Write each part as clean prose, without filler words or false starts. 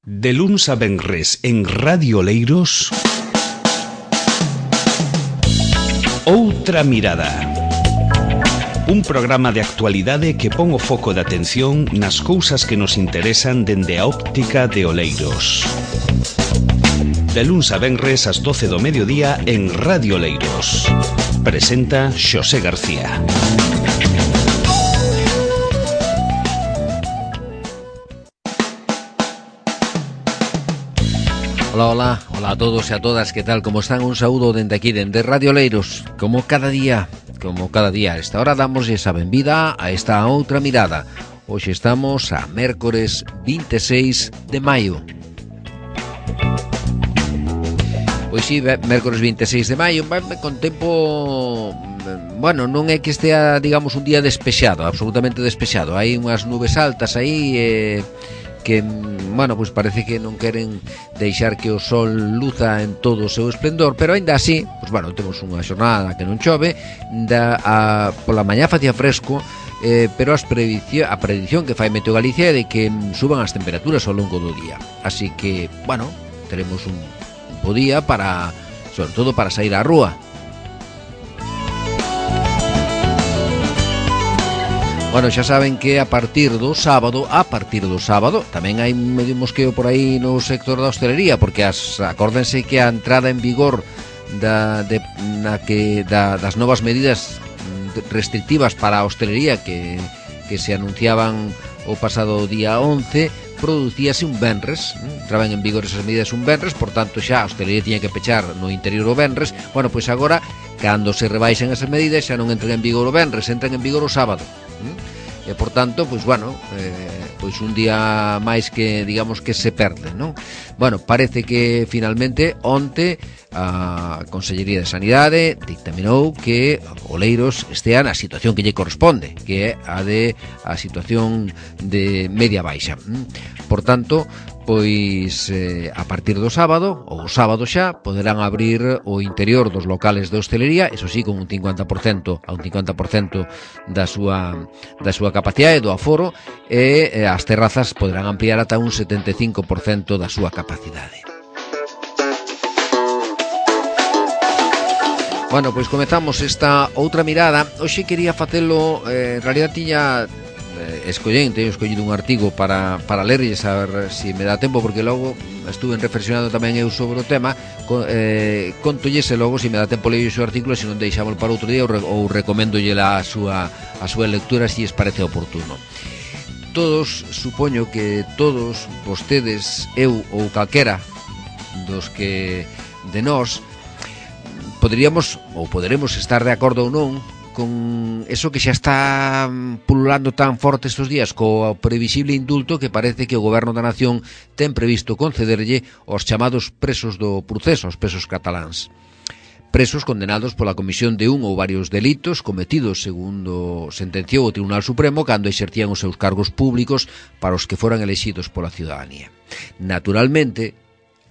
De luns a venres en Radio Oleiros, Outra Mirada. Un programa de actualidade que pon o foco de atención nas cousas que nos interesan dende a óptica de Oleiros. De luns a venres ás 12 do mediodía en Radio Oleiros. Presenta Xosé García. Hola a todos e a todas, que tal, como están? Un saúdo dende aquí, dende Radio Oleiros. Como cada día, a esta hora damos esa benvida a esta outra mirada. Hoxe estamos a mércores 26 de maio. Pois si, mércores 26 de maio, con tempo... Bueno, non é que estea, digamos, un día despexado, absolutamente despexado. Hai unhas nubes altas aí que, bueno, pois parece que non queren deixar que o sol luza en todo o seu esplendor, pero aínda así, pois bueno, temos unha xornada que non chove, pola mañá facía fresco, pero a predición que fai Meteo Galicia é de que suban as temperaturas ao longo do día. Así que, bueno, teremos un bo día para, sobre todo, para sair á rúa. Bueno, xa saben que a partir do sábado, tamén hai medio mosqueo por aí no sector da hostelería, porque acórdense que a entrada en vigor das novas medidas restrictivas para a hostelería que se anunciaban o pasado día 11, producíase un venres, entraban en vigor esas medidas un venres, por tanto xa a hostelería tiña que pechar no interior o venres. Bueno, pois agora, cando se rebaixen esas medidas, xa non entran en vigor o venres, entran en vigor o sábado. E, por tanto, pois, bueno, pois un día máis que, digamos, que se perde, non? Bueno, parece que, finalmente, onte, a Consellería de Sanidade dictaminou que Oleiros estea na situación que lle corresponde, que é a situación de media baixa. Por tanto, pois a partir do sábado, ou o sábado xa, poderán abrir o interior dos locales de hostelería, eso sí, con un 50% da súa capacidade, do aforo, e as terrazas poderán ampliar ata un 75% da súa capacidade. Bueno, pois comezamos esta outra mirada. Hoxe quería facelo, en realidad tiña escollido un artigo para lerlle, saber se me dá tempo, porque logo estuve reflexionando tamén eu sobre o tema. Contollese logo se me dá tempo leio o seu artículo, se non deixámoslo para outro día, ou recomendolle a súa lectura se lles parece oportuno. Todos, supoño que todos vostedes, eu ou calquera dos que de nós poderemos estar de acordo ou non con eso que xa está pululando tan forte estes días, co previsible indulto que parece que o Goberno da Nación ten previsto concederlle aos chamados presos do proceso, aos presos cataláns. Presos condenados pola comisión de un ou varios delitos cometidos, segundo sentenciou o Tribunal Supremo, cando exercían os seus cargos públicos para os que foran elexidos pola ciudadanía. Naturalmente,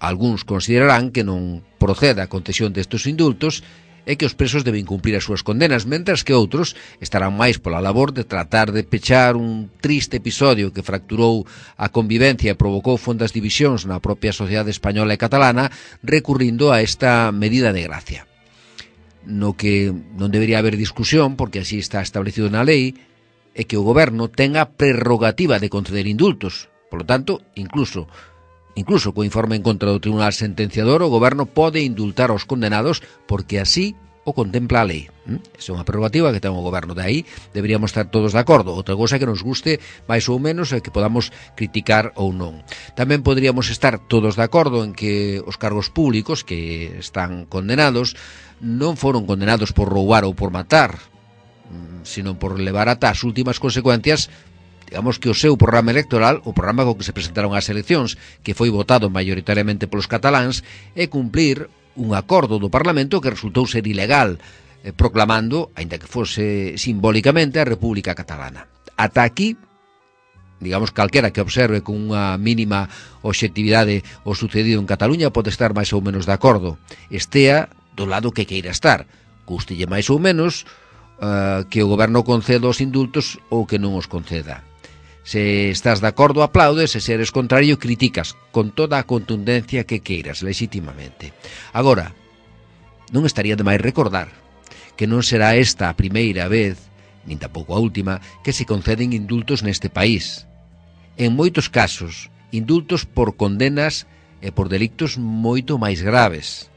algúns considerarán que non proceda a concesión destes indultos e que os presos deben cumplir as súas condenas, mentras que outros estarán máis pola labor de tratar de pechar un triste episodio que fracturou a convivencia e provocou fondas divisións na propia sociedade española e catalana, recurrindo a esta medida de gracia. No que non debería haber discusión, porque así está establecido na lei, é que o goberno tenga prerrogativa de conceder indultos. Por lo tanto, incluso co informe en contra do Tribunal Sentenciador, o goberno pode indultar aos condenados porque así o contempla a lei. Esa é unha prerrogativa que ten o goberno. De aí deberíamos estar todos de acordo. Outra cousa que nos guste máis ou menos é que podamos criticar ou non. Tamén poderíamos estar todos de acordo en que os cargos públicos que están condenados non foron condenados por roubar ou por matar, sino por levar ata as últimas consecuencias, digamos, que o seu programa electoral, o programa co que se presentaron ás eleccións, que foi votado maioritariamente polos cataláns, é cumplir un acordo do Parlamento que resultou ser ilegal, proclamando, aínda que fose simbólicamente, a República Catalana. Ata aquí, digamos, calquera que observe con unha mínima obxectividade o sucedido en Cataluña pode estar máis ou menos de acordo. Estea do lado que queira estar, gústelle máis ou menos que o goberno conceda os indultos ou que non os conceda. Se estás de acordo, aplaudes, e se eres contrario, criticas con toda a contundencia que queiras, legítimamente. Agora, non estaría de máis recordar que non será esta a primeira vez, nin tampouco a última, que se conceden indultos neste país. En moitos casos, indultos por condenas e por delictos moito máis graves.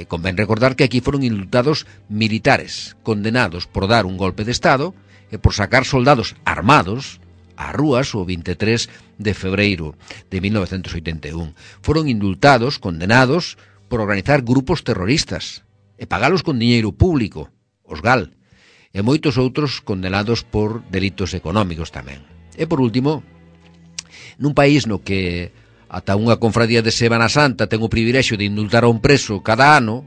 Convén recordar que aquí foron indultados militares, condenados por dar un golpe de Estado e por sacar soldados armados ás rúas o 23 de febreiro de 1981. Foron indultados, condenados, por organizar grupos terroristas e pagalos con diñeiro público, os GAL, e moitos outros condenados por delitos económicos tamén. E por último, nun país no que ata unha confradía de Semana Santa ten o privilexio de indultar a un preso cada ano,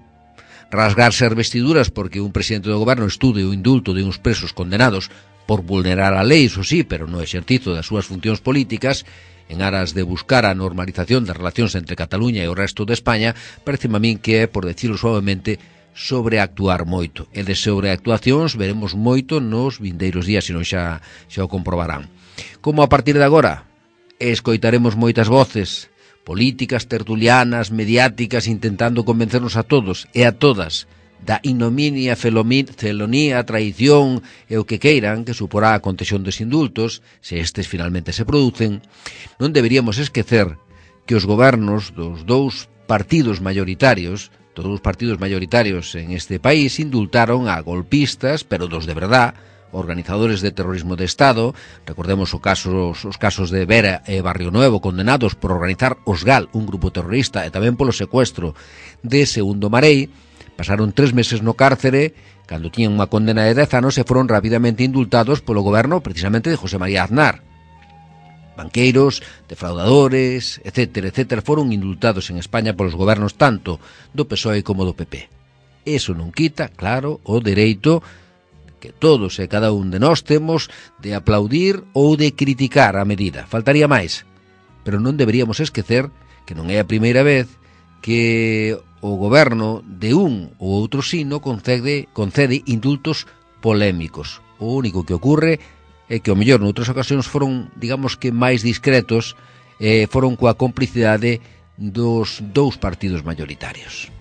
rasgarse as vestiduras porque un presidente do goberno estude o indulto de uns presos condenados por vulnerar a lei, iso sí, pero no exercizo das súas funcións políticas, en aras de buscar a normalización das relacións entre Cataluña e o resto de España, pareceme a min que é, por decirlo suavemente, sobreactuar moito. E de sobreactuacións veremos moito nos vindeiros días, senón xa o comprobarán. Como a partir de agora escoitaremos moitas voces políticas, tertulianas, mediáticas, intentando convencernos a todos e a todas da ignominia, felonía, traición e o que queiran que suporá a concesión dos indultos, se estes finalmente se producen, non deberíamos esquecer que os gobernos dos dous partidos maioritarios, todos os partidos maioritarios en este país, indultaron a golpistas, pero dos de verdad, organizadores de terrorismo de Estado. Recordemos os casos de Vera e Barrio Nuevo, condenados por organizar os GAL, un grupo terrorista, e tamén polo secuestro de Segundo Marei. Pasaron 3 meses no cárcere, cando tiñan unha condena de 10 anos, e foron rapidamente indultados polo goberno precisamente de José María Aznar. Banqueiros, defraudadores, etcétera, foron indultados en España polos gobernos tanto do PSOE como do PP. Eso non quita, claro, o dereito que todos e cada un de nós temos de aplaudir ou de criticar a medida. Faltaría máis. Pero non deberíamos esquecer que non é a primeira vez que o goberno de un ou outro signo concede indultos polémicos. O único que ocorre é que, ao mellor, noutras ocasións foron, digamos que, máis discretos, foron coa complicidade dos dous partidos maioritarios.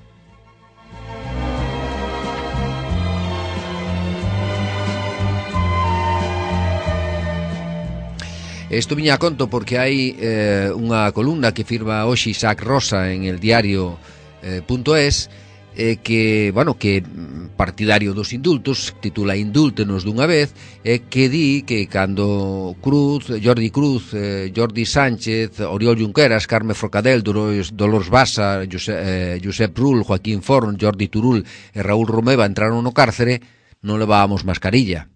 Isto viña a conto porque hai unha columna que firma hoxe Isaac Rosa en el diario.es que partidario dos indultos, titula Indúltenos dunha vez, que di que cando Jordi Cruz, Jordi Sánchez, Oriol Junqueras, Carme Forcadell, Dolors Bassa, Josep Rull, Joaquín Forn, Jordi Turul e Raúl Romeva entraron no cárcere, non levábamos mascarilla.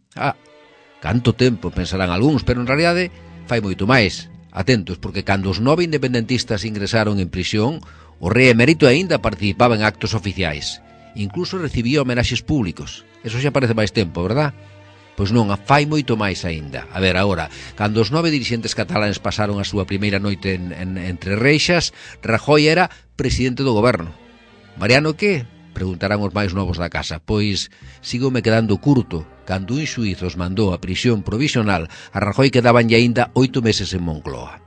Canto tempo, pensarán algúns, pero en realidade fai moito máis. Atentos, porque cando os 9 independentistas ingresaron en prisión, o rei emérito aínda participaba en actos oficiais. Incluso recibía homenaxes públicos. Eso xa parece máis tempo, verdad? Pois non, fai moito máis aínda. A ver, agora, cando os 9 dirixentes cataláns pasaron a súa primeira noite entre reixas, Rajoy era presidente do goberno. Mariano que? Preguntarán os máis novos da casa. Pois sigo me quedando curto. Cando un xuíz os mandou a prisión provisional, a Rajoy quedaban aínda 8 meses en Moncloa.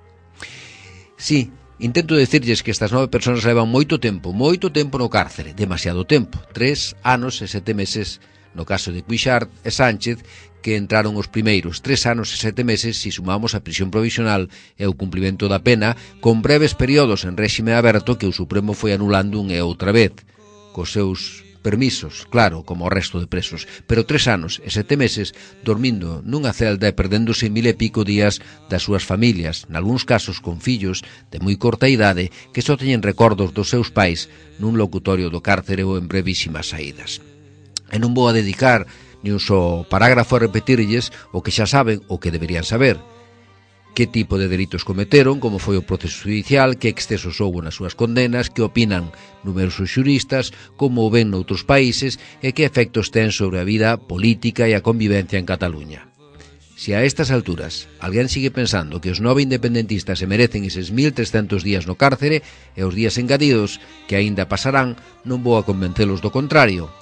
Sí, intento decirlles que estas 9 persoas levan moito tempo no cárcere, demasiado tempo, 3 anos e 7 meses no caso de Cuixart e Sánchez, que entraron os primeiros, 3 anos e 7 meses si sumamos a prisión provisional e o cumplimento da pena, con breves períodos en réxime aberto que o Supremo foi anulando unha e outra vez, cos seus permisos, claro, como o resto de presos, pero 3 anos e 7 meses dormindo nunha celda e perdéndose 1000 e pico días das súas familias, nalgúns casos con fillos de moi corta idade que só teñen recordos dos seus pais nun locutorio do cárcere ou en brevísimas saídas. E non vou a dedicar ni un só parágrafo a repetirlles o que xa saben ou que deberían saber. Que tipo de delitos cometeron, como foi o proceso judicial, que excesos houbo nas súas condenas, que opinan numerosos xuristas, como o ven noutros países e que efectos ten sobre a vida política e a convivencia en Cataluña. Se a estas alturas alguén sigue pensando que os 9 independentistas se merecen eses 1300 días no cárcere e os días engadidos que aínda pasarán, non vou a convencelos do contrario.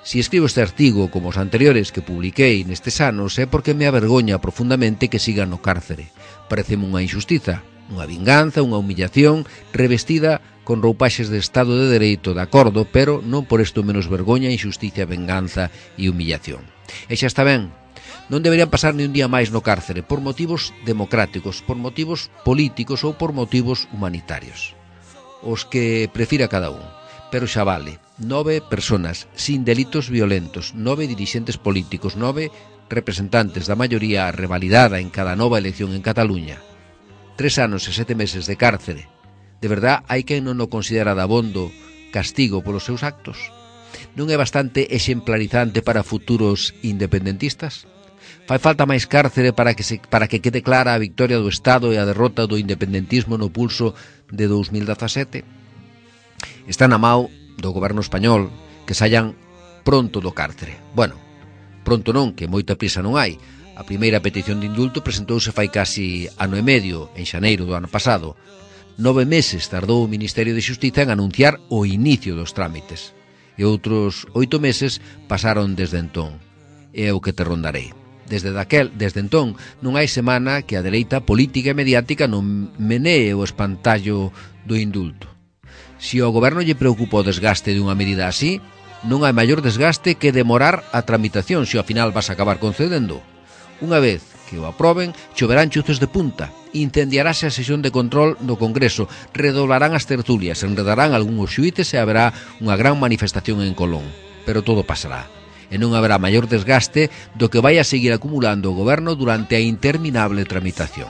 Si escribo este artigo como os anteriores que publiquei nestes anos é porque me avergoña profundamente que sigan no cárcere. Pareceme unha injustiza, unha vinganza, unha humillación revestida con roupaxes de Estado de Dereito, de acordo, pero non por isto menos vergoña, injusticia, venganza e humillación. E xa está ben, non deberían pasar ni un día máis no cárcere por motivos democráticos, por motivos políticos ou por motivos humanitarios. Os que prefira cada un. Pero xa vale, 9 personas sin delitos violentos, 9 dirixentes políticos, 9 representantes da maioría revalidada en cada nova elección en Cataluña, 3 anos e 7 meses de cárcere. De verdad, hai quen non o considera dabondo castigo polos seus actos? Non é bastante exemplarizante para futuros independentistas? Fai falta máis cárcere para que quede clara a victoria do Estado e a derrota do independentismo no pulso de 2017? Está na mão do goberno español que saian pronto do cárcere. Bueno, pronto non, que moita prisa non hai. A primeira petición de indulto presentouse fai casi ano e medio, en xaneiro do ano pasado. 9 meses tardou o Ministerio de Xustiza en anunciar o inicio dos trámites. E outros 8 meses pasaron desde entón. É o que te rondarei. Desde entón non hai semana que a dereita política e mediática non menee o espantallo do indulto. Se ao goberno lle preocupa o desgaste dunha medida así, non hai maior desgaste que demorar a tramitación se ao final vas a acabar concedendo. Unha vez que o aproben, choverán chuzos de punta, incendiarase a sesión de control do Congreso, redoblarán as tertulias, enredarán algúns xuíces e haberá unha gran manifestación en Colón. Pero todo pasará. E non haberá maior desgaste do que vai a seguir acumulando o goberno durante a interminable tramitación.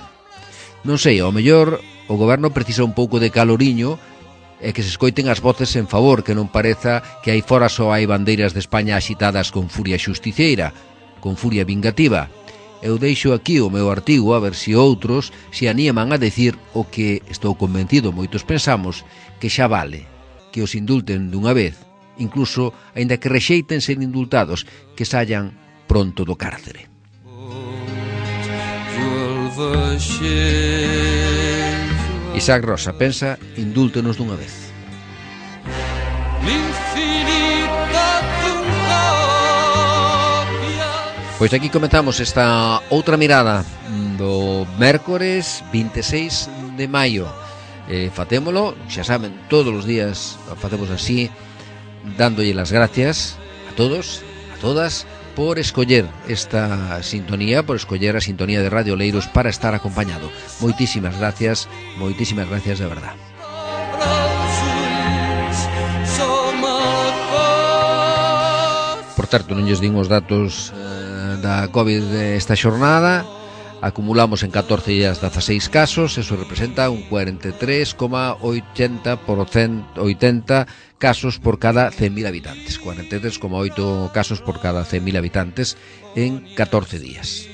Non sei, ao mellor o goberno precisa un pouco de caloriño e que se escoiten as voces en favor, que non pareza que aí fora só hai bandeiras de España axitadas con furia xusticeira, con furia vingativa. Eu deixo aquí o meu artigo a ver se outros se animan a decir o que estou convencido moitos pensamos, que xa vale, que os indulten dunha vez, incluso, aínda que rexeiten ser indultados, que saian pronto do cárcere. Isaac Rosa pensa, indúltenos dunha vez. Pois aquí comenzamos esta outra mirada do mércores 26 de maio. Facémolo, xa saben, todos os días facemos así, dándolle as gracias a todos, a todas, por escoller esta sintonía, por escoller a sintonía de Radio Oleiros para estar acompañado. Moitísimas gracias de verdad. Por certo, non lles din os datos da COVID esta xornada. Acumulamos en 14 días 16 casos, eso representa un 43,80% casos por cada 100.000 habitantes. 43,8 casos por cada 100.000 habitantes en 14 días.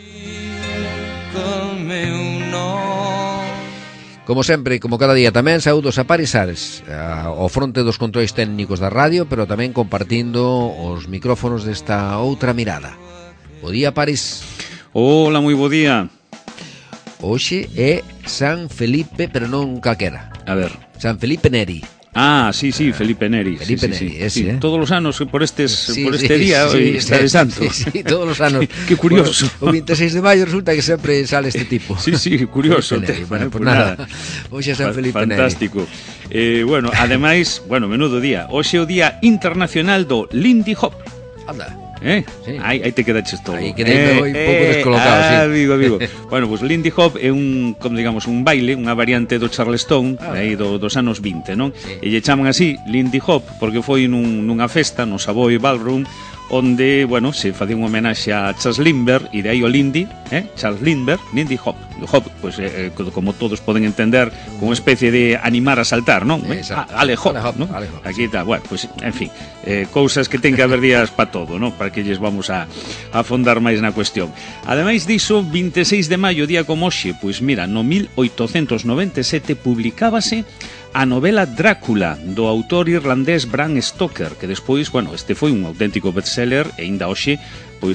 Como sempre, como cada día tamén, saúdos a Paris Ares, ao fronte dos controis técnicos da radio, pero tamén compartindo os micrófonos desta outra mirada. Bo día, Paris. Hola, moi bo día. Hoxe é San Felipe, pero non calquera. A ver. San Felipe Neri. Ah, sí, Felipe Neri. Felipe Neri, ese, todos os anos por este día está de santo. Sí, todos os anos. Que curioso. O 26 de maio resulta que sempre sale este tipo. Sí, curioso. Bueno, pues nada. Hoxe é San Felipe Neri. Fantástico. Bueno, ademais, menudo día. Hoxe é o Día Internacional do Lindy Hop. Anda. Sí. Aí te quedaches todo. Aí quedei un pouco descolocado, sí. Amigo. Bueno, pues Lindy Hop é un baile, unha variante do Charleston, aí dos anos 20, non? Sí. E lle chaman así Lindy Hop porque foi nunha festa no Savoy Ballroom onde, se facía unha homenaxe a Charles Lindbergh e de aí o Lindy, Charles Lindbergh, Lindy Hop. O Hop, como todos poden entender, como unha especie de animar a saltar, non? Ale Hop, non? Aquí está, en fin, cousas que ten que haber días para todo, non? Para que lles vamos a afondar máis na cuestión. Ademais diso, 26 de maio, día como hoxe, no 1897 publicábase a novela Drácula do autor irlandés Bram Stoker, que despois, este foi un auténtico bestseller e aínda hoxe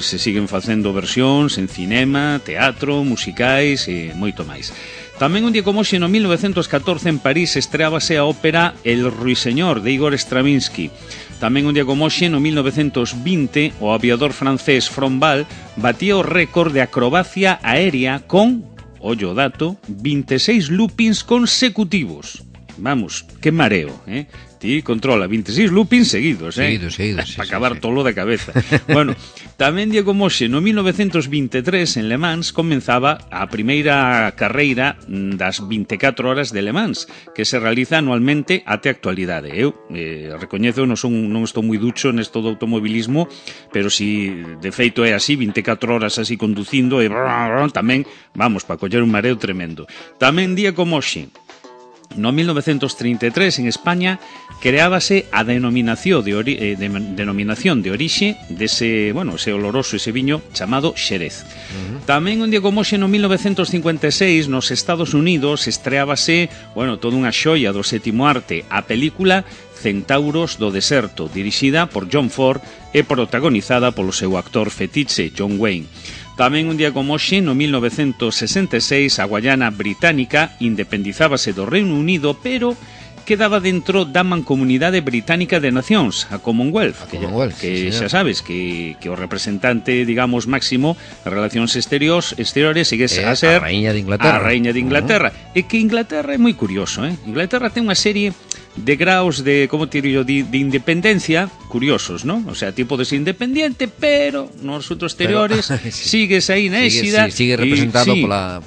se siguen facendo versións en cinema, teatro, musicais e moito máis. Tamén un día como hoxe, no 1914, en París, estreábase a ópera El Ruiseñor, de Igor Stravinsky. Tamén un día como hoxe, no 1920, o aviador francés Frombal batía o récord de acrobacia aérea con, ollo o dato, 26 loopings consecutivos. Vamos, que mareo, Ti controla 26 loopings seguidos, Seguidos, para acabar tolo da cabeza. Bueno, tamén día como hoxe, no 1923, en Le Mans, comenzaba a primeira carreira das 24 horas de Le Mans, que se realiza anualmente até a actualidade. Eu recoñezo, non estou moi ducho nesto do automobilismo, pero si de feito é así, 24 horas así conducindo, e tamén, vamos, para coller un mareo tremendo. Tamén día como hoxe, no 1933, en España, creábase a denominación de orixe dese, ese oloroso, ese viño chamado Xerez. Tamén un día como hoxe, no 1956, nos Estados Unidos, estreábase, toda unha xoia do sétimo arte, a película Centauros do Deserto, dirixida por John Ford e protagonizada polo seu actor fetiche, John Wayne. Tamén un día como hoxe, no 1966, a Guayana Británica independizábase do Reino Unido, pero quedaba dentro da Mancomunidade Británica de Nacións, a Commonwealth, que xa sabes que o representante, digamos, máximo de relacións exteriores sigue a ser a Raíña de Inglaterra. E que Inglaterra é moi curioso, Inglaterra ten unha serie de graus de, como te digo, de independencia curiosos, ¿no? O sea, ti podes ser independiente, pero nos asuntos exteriores sigues aí na éxida. Sigue representado pola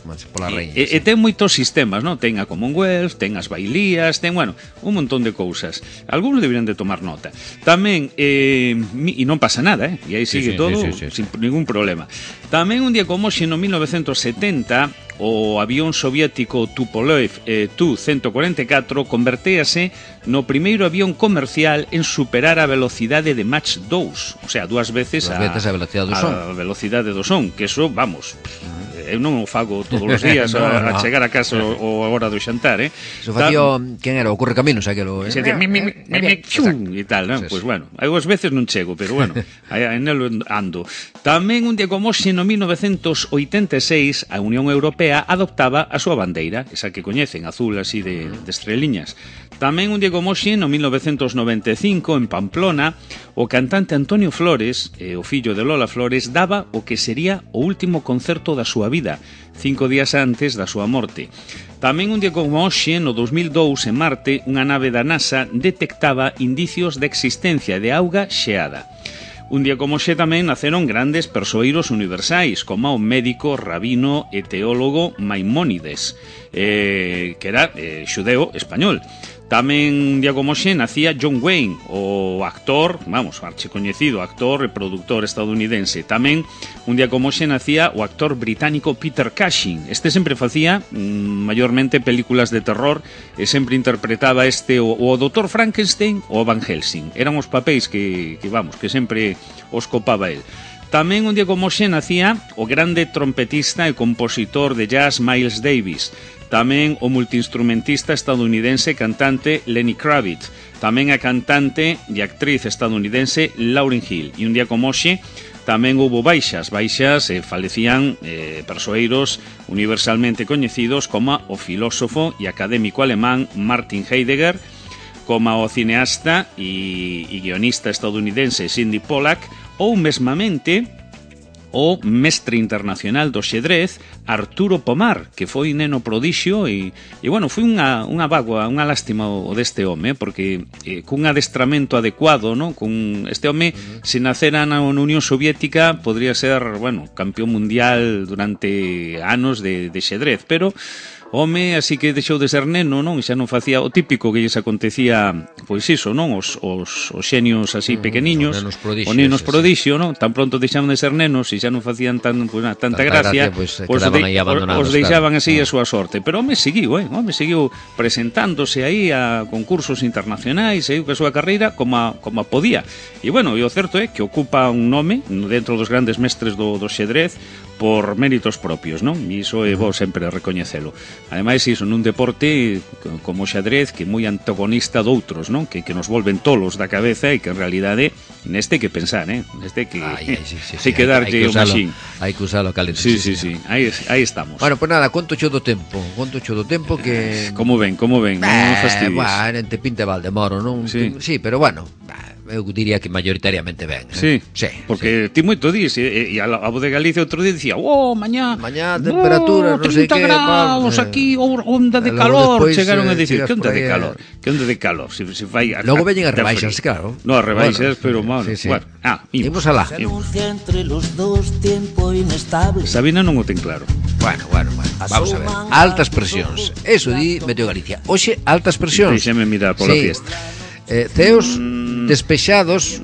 reina. E ten moitos sistemas, ¿no? Ten a Commonwealth, ten as bailías, ten, un montón de cousas. Algunos deberían de tomar nota. Tamén, e non pasa nada, E aí sigue todo sin ningún problema. Tamén un día como hoxe, no 1970, o avión soviético Tupolev Tu-144 convertéase no primeiro avión comercial en superar a velocidade de Mach 2, o sea, dúas veces a velocidade do son, que eso, vamos, eu non o fago todos os días a chegar a casa ou a hora do xantar, Eso facía, quen era? O Correcaminos, aquelo, e tal, non? Pois algunhas veces non chego, pero en el ando. Tamén un día como hoxe, no 1986, a Unión Europea adoptaba a súa bandeira, esa que coñecen, azul así de estreliñas. Tamén un día como hoxe, no 1995, en Pamplona, o cantante Antonio Flores, o fillo de Lola Flores, daba o que sería o último concerto da súa vida, 5 días antes da súa morte. Tamén un día como hoxe, no 2002, en Marte, unha nave da NASA detectaba indicios de existencia de auga xeada. Un día como hoxe tamén naceron grandes persoeiros universais, como o médico, rabino e teólogo Maimónides, que era xudeo español. Tamén un día como hoxe nacía John Wayne, o actor, archicoñecido actor e productor estadounidense. Tamén un día como hoxe nacía o actor británico Peter Cushing. Este sempre facía maiormente películas de terror e sempre interpretaba o Dr. Frankenstein ou Van Helsing. Eran os papéis que sempre os copaba el. Tamén un día como hoxe nacía o grande trompetista e compositor de jazz Miles Davis. Tamén o multiinstrumentista estadounidense cantante Lenny Kravitz. Tamén a cantante e actriz estadounidense Lauryn Hill. E un día como hoxe tamén houbo baixas falecían persoeiros universalmente coñecidos como o filósofo e académico alemán Martin Heidegger, como o cineasta e guionista estadounidense Sidney Pollack, ou mesmamente o mestre internacional do xedrez Arturo Pomar, que foi neno prodixio e foi unha bagua, unha lástima o deste home, porque cun adestramento adecuado, non? Con este home, se nacera na Unión Soviética, podría ser, campeón mundial durante anos de xedrez, pero home, así que deixou de ser neno, non? E xa non facía o típico que lles acontecía, pois iso, non? Os xenios así pequeniños, os nenos prodixio, non? Tan pronto deixaban de ser nenos e xa non facían tanta gracia, os deixaban así a súa sorte. Pero home seguiu, presentándose aí a concursos internacionais, seguiu ca súa carreira como podía. E o certo é que ocupa un nome dentro dos grandes mestres do xedrez por méritos propios, non? E iso é bo sempre recoñecelo. Ademais, iso nun deporte como o xadrez, que é moi antagonista doutros, non? Que nos volven tolos da cabeza e que en realidade neste que pensar, Neste que hai que darlle o maxín. Hai que usalo calento. Sí. Aí estamos. Bueno, pues nada, conto cho do tempo que... Como ven, non fastidies. Te pinta Valdemoro, non? Sí, pero eu diría que mayoritariamente ben. Sí, porque ti moito dís, e a voz de Galicia outro día dicía, mañá temperaturas, non sei 30 que, graus, aquí, onda de calor, despois, chegaron a dicir, que onda de aí, calor? Que onda de calor? Se fai logo veñen as rebaixas, claro. No, as rebaixas, pero, bueno, imos alá. Sabina non o ten claro. Bueno, vamos a ver. Altas presións, eso di Meteo Galicia. Hoxe, altas presións. Deixeme mirar pola fiesta. Ceos despexados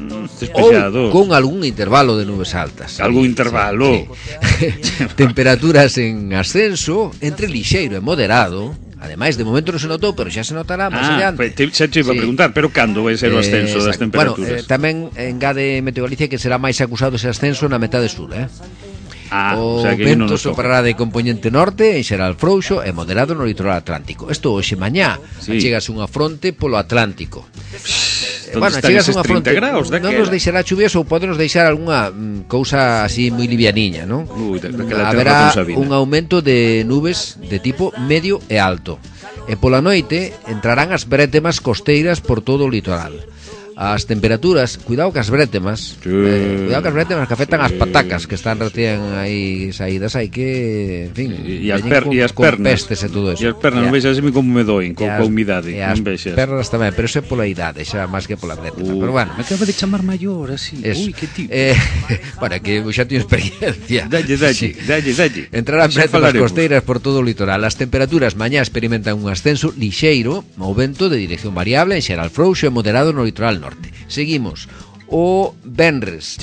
ou con algún intervalo de nubes altas. Algún intervalo. Sí. Temperaturas en ascenso entre lixeiro e moderado. Ademais, de momento non se notou, pero xa se notará máis adiante. Xa te iba a preguntar, pero cando vai ser o ascenso das temperaturas? Tamén engade Meteo Galicia que será máis acusado ese ascenso na metade sur, o sea que vento soprará de componente norte, en xeral frouxo e moderado no litoral atlántico. Isto hoxe mañá, chegas unha fronte polo Atlántico. Chegas unha fronte graus, non nos deixará chuvias ou pode nos deixar algunha cousa así moi livianiña, non? Haberá un aumento de nubes de tipo medio e alto. E pola noite entrarán as brétemas costeiras por todo o litoral. As temperaturas, cuidado que as brétemas que afectan as patacas que están recién aí saídas, hai que, en fin, e as pernas pestes e todo eso. E as pernas, non vexas así como me doen coa humidade, non vexas. As pernas tamén, pero iso é pola idade, xa máis que pola brétema, pero bueno. Me acaba de chamar maior así. Ui, que tipo. Bueno, que xa teño experiencia. Dalle. Entrarán brétemas costeiras por todo o litoral. As temperaturas mañá experimentan un ascenso lixeiro, o vento de dirección variable, en xeral frouxo e moderado no litoral norte. Seguimos. O venres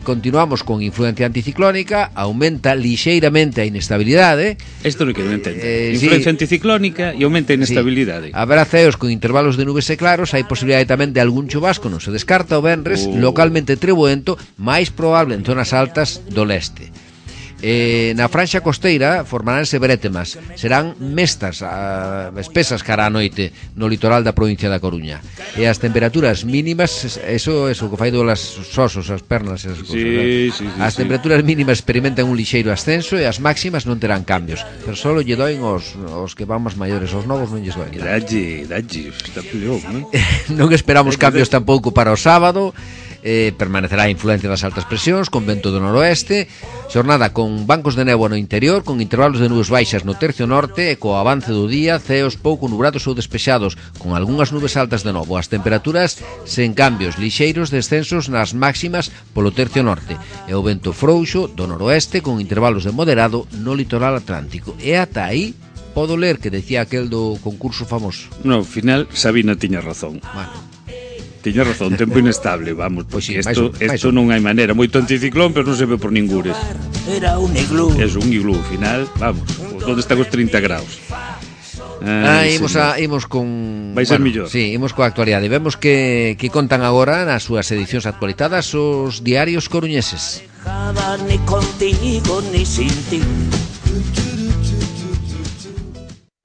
continuamos con influencia anticiclónica, aumenta lixeiramente a inestabilidade. Isto non quero entender. Influencia anticiclónica e aumenta a inestabilidade. Haberá ceos con intervalos de nubes e claros, hai posibilidade tamén de algún chubasco, non se descarta o venres, localmente treboento, máis probable en zonas altas do leste. Na franxa costeira formaránse brétemas, serán mestas, espesas cara a noite no litoral da provincia da Coruña. E as temperaturas mínimas, eso que fai dolas osos, as pernas e esas cousas. As temperaturas mínimas experimentan un lixeiro ascenso e as máximas non terán cambios, pero solo lle doen os que van máis maiores, os novos non lles doen. Dalle, está peor, non? Non esperamos cambios tampouco para o sábado. Permanecerá a influencia das altas presións con vento do noroeste, xornada con bancos de néboa no interior, con intervalos de nubes baixas no tercio norte e co avance do día ceos pouco nubrados ou despexados, con algunhas nubes altas de novo. As temperaturas sen cambios, lixeiros descensos nas máximas polo tercio norte e o vento frouxo do noroeste con intervalos de moderado no litoral atlántico. E ata aí podo ler que decía aquel do concurso famoso. No, ao final Sabina tiña razón. Tiña razón, tempo inestable, vamos, porque isto non hai maneira, moito anticiclón, pero non se ve por ningures. Era un iglú. É un iglú, final, vamos, onde están os 30 graus. Imos con... Vai ser millor. Sí, imos coa actualidade. Vemos que contan agora nas súas edicións actualizadas os diarios coruñeses. Ni contigo, ni sin ti.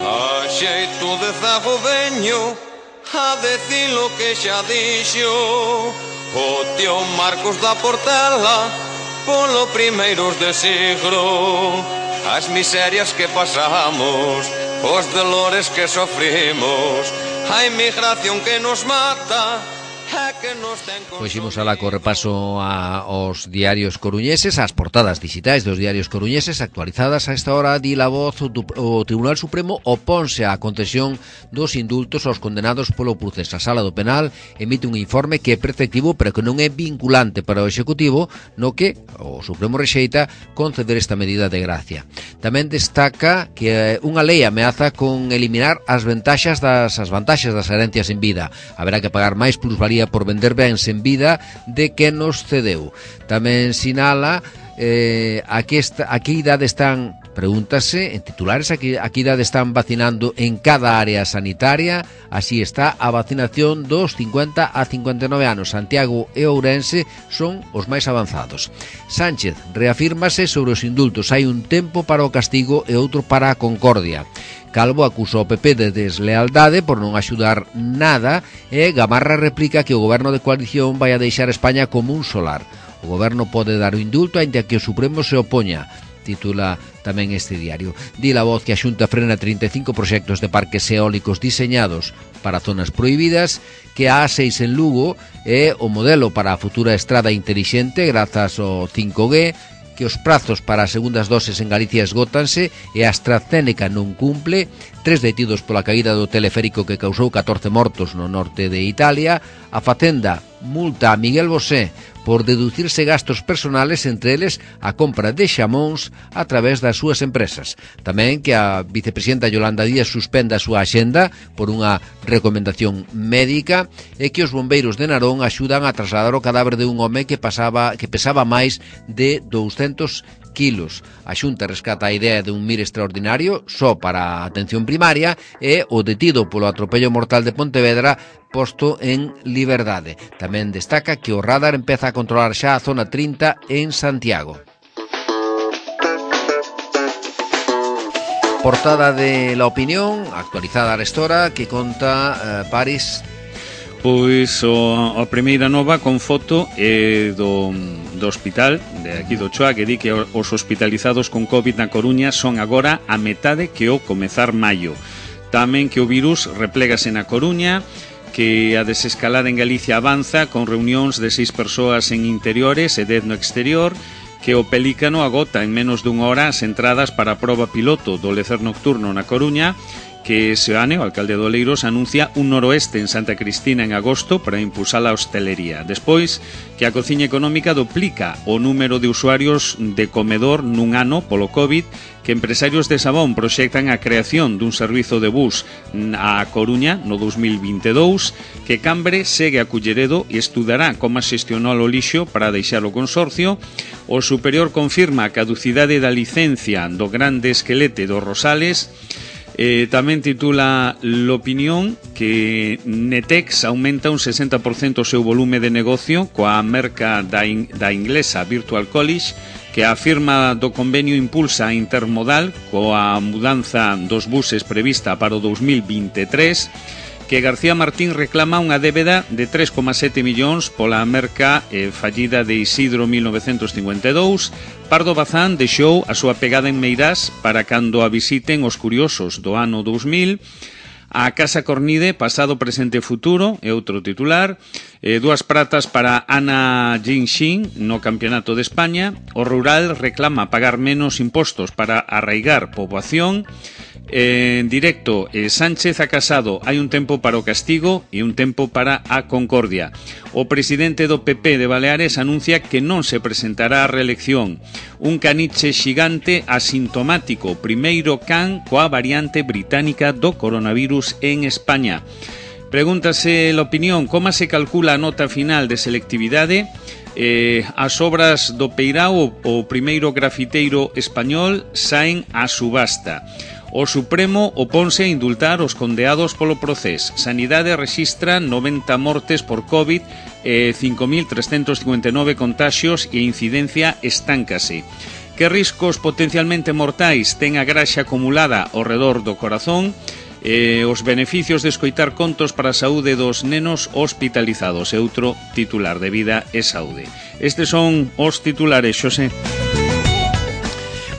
A xeito de zagoveño, a decir lo que xa dixo o tío Marcos da Portela polo primeiros de siglo. As miserias que pasamos, os dolores que sofrimos, a inmigración que nos mata. Pois imos alá co repaso aos diarios coruñeses, as portadas digitais dos diarios coruñeses actualizadas a esta hora. Di La Voz, o Tribunal Supremo oponse á concesión dos indultos aos condenados polo procés. A Sala do Penal emite un informe que é preceptivo pero que non é vinculante para o Executivo, no que o Supremo rexeita conceder esta medida de gracia. Tamén destaca que unha lei ameaza con eliminar as vantaxes das herencias en vida. Haberá que pagar máis plusvalía por vender bens en vida de que nos cedeu. Tamén sinala a que idade están, pregúntase en titulares, a que idade están vacinando en cada área sanitaria. Así está a vacinación dos 50 a 59 anos. Santiago e Ourense son os máis avanzados. Sánchez reafírmase sobre os indultos. Hai un tempo para o castigo e outro para a concordia. Calvo acusa o PP de deslealdade por non axudar nada e Gamarra replica que o goberno de coalición vai a deixar España como un solar. O goberno pode dar o indulto aínda que o Supremo se opoña. titula tamén este diario. Di La Voz que a Xunta frena 35 proxectos de parques eólicos diseñados para zonas prohibidas, que a A6 en Lugo é o modelo para a futura estrada intelixente grazas ao 5G, que os prazos para as segundas doses en Galicia esgótanse e a AstraZeneca non cumple, 3 detidos pola caída do teleférico que causou 14 mortos no norte de Italia, a Facenda multa a Miguel Bosé por deducirse gastos personales, entre eles a compra de xamóns a través das súas empresas. Tamén que a vicepresidenta Yolanda Díaz suspenda a súa axenda por unha recomendación médica e que os bombeiros de Narón axudan a trasladar o cadáver de un home que pesaba máis de 200 kilos. A Xunta rescata a idea de un MIR extraordinario só para a atención primaria e o detido polo atropello mortal de Pontevedra posto en liberdade. Tamén destaca que o radar empeza a controlar xa a zona 30 en Santiago. Portada de La Opinión, actualizada a restora, que conta París. Pois a primeira nova con foto do hospital de aquí do Choa, que di que os hospitalizados con COVID na Coruña son agora a metade que o comezar maio. Tamén que o virus replégase na Coruña, que a desescalada en Galicia avanza con reunións de 6 persoas en interiores e 10 no exterior, que o Pelícano agota en menos dunha hora as entradas para a proba piloto do lecer nocturno na Coruña, que Seoane, o alcalde de Oleiros, anuncia un noroeste en Santa Cristina en agosto para impulsar a hostelería. Despois, que a cociña económica duplica o número de usuarios de comedor nun ano polo COVID, que empresarios de Sabón proxectan a creación dun servizo de bus a Coruña no 2022, que Cambre segue a Culleredo e estudará como xestionar o lixo para deixar o consorcio. O superior confirma a caducidade da licencia do grande esquelete dos Rosales. Tamén titula L'Opinión que Netex aumenta un 60% o seu volume de negocio coa merca da inglesa Virtual College, que a firma do convenio impulsa a intermodal coa mudanza dos buses prevista para o 2023, que García Martín reclama unha débeda de 3,7 millóns pola merca fallida de Isidro 1952. Pardo Bazán deixou a súa pegada en Meirás para cando a visiten os curiosos do ano 2000. A Casa Cornide, pasado, presente e futuro, é outro titular. 2 pratas para Ana Jinxin no Campeonato de España. O rural reclama pagar menos impostos para arraigar poboación. En directo, Sánchez a Casado, hai un tempo para o castigo e un tempo para a concordia. O presidente do PP de Baleares anuncia que non se presentará a reelección. Un caniche xigante asintomático, primeiro can coa variante británica do coronavirus en España. Pregúntase La Opinión como se calcula a nota final de selectividade. As obras do Peirao, o primeiro grafiteiro español, saen a subasta. O Supremo oponse a indultar os condeados polo procés. Sanidade rexistra 90 mortes por COVID, 5.359 contaxios e a incidencia estáncase. Que riscos potencialmente mortais ten a graxa acumulada ao redor do corazón? Os beneficios de escoitar contos para a saúde dos nenos hospitalizados. É outro titular de Vida e Saúde. Estes son os titulares, Xosé.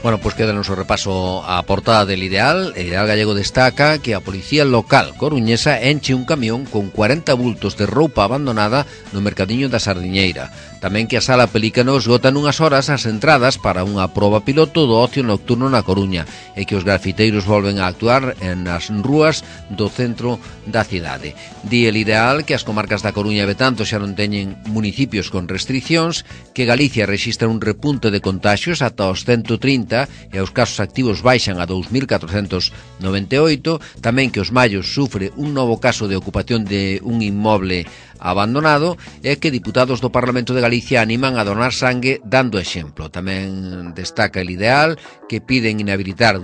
Bueno, pois quédanos o repaso á portada del Ideal. El Ideal Gallego destaca que a policía local coruñesa enche un camión con 40 bultos de roupa abandonada no mercadiño da Sardiñeira. Tamén que a Sala Pelícano esgota nunhas horas as entradas para unha proba piloto do ocio nocturno na Coruña e que os grafiteiros volven a actuar nas rúas do centro da cidade. Di El Ideal que as comarcas da Coruña e Betanzos xa non teñen municipios con restriccións, que Galicia rexistra un repunte de contaxios ata os 130 e os casos activos baixan a 2.498, tamén que os Mallos sufre un novo caso de ocupación de un inmoble abandonado e que diputados do Parlamento de Galicia animan a donar sangue dando exemplo. Tamén destaca El Ideal que piden inhabilitar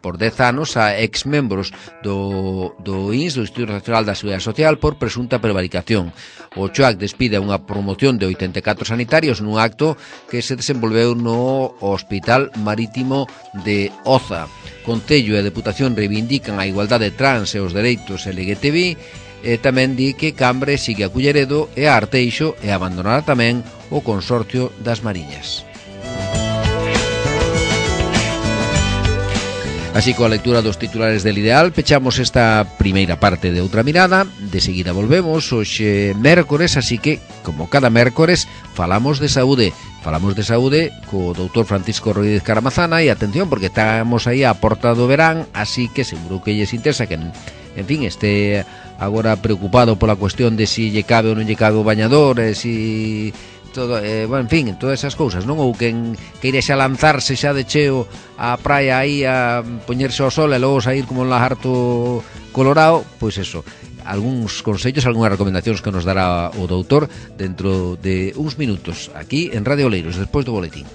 por 10 anos a exmembros do INS, do Instituto Nacional da Seguridade Social, por presunta prevaricación. O CHOAC despide unha promoción de 84 sanitarios nun acto que se desenvolveu no Hospital Marítimo de Oza. Concello e Deputación reivindican a igualdade trans e os dereitos LGTBI. E tamén di que Cambre sigue a Culleredo e a Arteixo e abandonará tamén o Consorcio das Mariñas. Así, coa lectura dos titulares del Ideal, pechamos esta primeira parte de Outra Mirada. De seguida volvemos hoxe mércores, así que, como cada mércores, falamos de saúde. Falamos de saúde co doutor Francisco Rodríguez Caramazana. E atención, porque estamos aí a porta do verán, así que seguro que lles interesa que, en fin, este agora preocupado pola cuestión de si lle cabe ou non lle cabe o bañador, si... todo, bueno, en fin, todas esas cousas, non? Ou quen queire xa lanzarse xa de cheo á praia aí a poñerse ao sol e logo sair como un lagarto colorado, pois eso, algúns consellos, algunhas recomendacións que nos dará o doutor dentro de uns minutos aquí en Radio Oleiros, despois do boletín.